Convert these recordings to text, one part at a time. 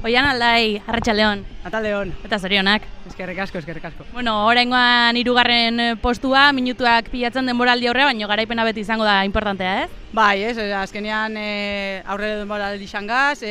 Oian Aldai, Arratsaldeon. Ataldeon. Eta zorionak. Eskerrik asko, eskerrik asko. Bueno, oraingoan 3. postua, minutuak pilatzen denboraldi aurrea, baina garaipena beti izango da importantea, ez? Bai, azkenean aurre denboraldi xangaz,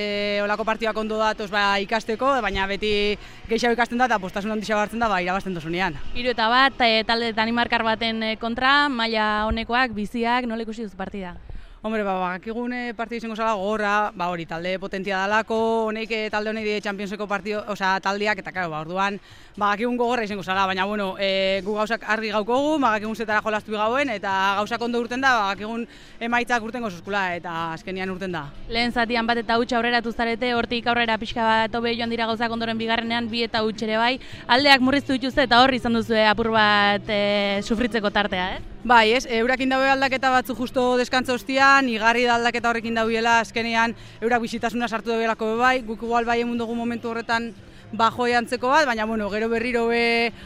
olako partidak ondo datoz ikasteko, baina beti gehiago ikasten da eta postasun handia hartzen da irabazten dozunean. 3-1, talde Danimarkar baten kontra, maila honekoak, biziak, nola ikusi duzu partida? Hombre, bakakigun partida izango zala gogorra, hori talde potentia dalako, honek talde honek die Championseko partido, taldeak, eta claro, orduan bakakigun gogorra izango zala, baina bueno, gu gauzak argi gaukogu, bakakigun zetara jolastu gauen, eta gauzak ondo urten da, bakakigun emaitzak urten gozuzkula, eta azkenian urten da. Lehen zatian bat eta huts aurreratu zarete, hortik aurrera pixka bat hobe joan dira gauzak ondoren bigarrenean, bi eta huts ere bai, aldeak murriztu dituzte eta hor izan duzu apur bat sufritzeko tartea, ez? Bai, eurakin daue aldaketa batzu justo deskantza ostian, igarri da aldaketa horrekin dauela, azkenean eurak bisitasuna sartu dauelako bai, guk igual bai emun dugu momentu horretan bajoi antzeko bat, baina bueno, gero berriro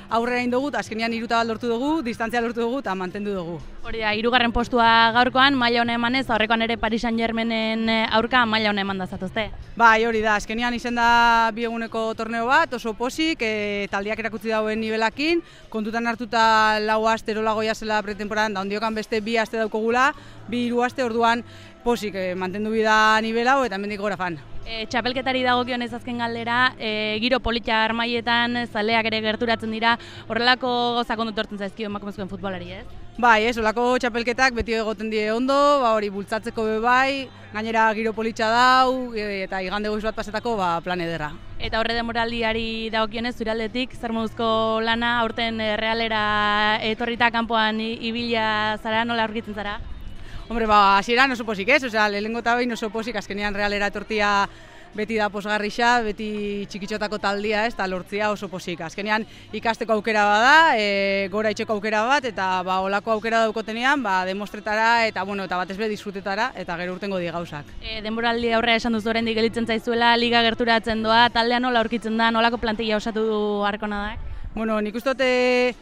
aurrera indogu, azkenean 3 bat lortu dugu, distantzia lortu dugu eta mantendu dugu. Hori da, 3. postua gaurkoan, maila hona emanez, aurrekoan ere Paris Saint-Germainen aurka maila hona eman dazatuzte. Bai, hori da, azkenean izen da 2 eguneko torneo bat, oso posik, taldeak erakutsi dauen nivelakin, kontutan hartuta 4 aste erolagoia zela pretemporadan, da ondiokan beste 2 aste daukogula, 2-3 aste orduan posik mantendu bida nivela eta hemendik gora fan. Txapelketari dagokionez azken galdera, giro polita armaietan, zaleak ere gerturatzen dira, horrelako gauzak ondo tortzen zaizkio emakumezkoen futbolari, ez? Bai, olako txapelketak beti egoten die ondo, hori bultzatzeko bai, gainera giro politxa dau, eta igande goiz bat pasetako plan ederra. Eta horre demoraldiari dagokionez, zure aldetik, zer moduzko lana, aurten realera etorrita kanpoan ibila zara, nola aurkitzen zara? Hombre, hasieran oso posik ez, lehenengo eta behin oso posik, azkenean realera etortia beti da posgarrixa, beti txikitxotako taldia ez, eta lortzia oso posik. Azkenean ikasteko aukera bada, gora itxeko aukera bat, eta olako aukera daukotenean, demostretara eta batez be disfrutetara, eta gero urtengo di gauzak. Denboraldi aurrea esan duzu oraindik gelditzen zaizuela, liga gerturatzen doa, taldea nola aurkitzen da, nolako plantilla osatu du Arkonadak? Bueno, nik uste dute,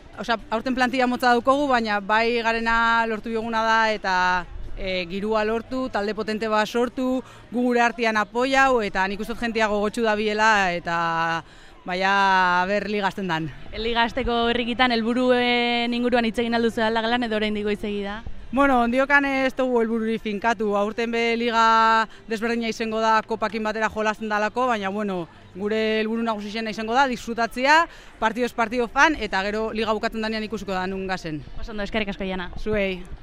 aurten plantilla motza daukogu, baina bai garena lortu bioguna da eta girua lortu, talde potente bat sortu, gu gure artean apoiau eta nik uste dut jentia gogotsu da biela eta baina ber ligazten dan. Ligazteko herrikitan helburuen inguruan hitz egin alduzu aldagalan edo oraindik goizegi da? Bueno, ondiokan ez dugu helbururi finkatu, aurten be liga desberdina izango da kopakin batera jolasten dalako, baina bueno, gure helburu nagusixena izango da, disfrutatzea, partidoz partido fan, eta gero liga bukatzen danean ikusiko da nun gazen. Oso ondo, eskerrik asko Jana. Zuei.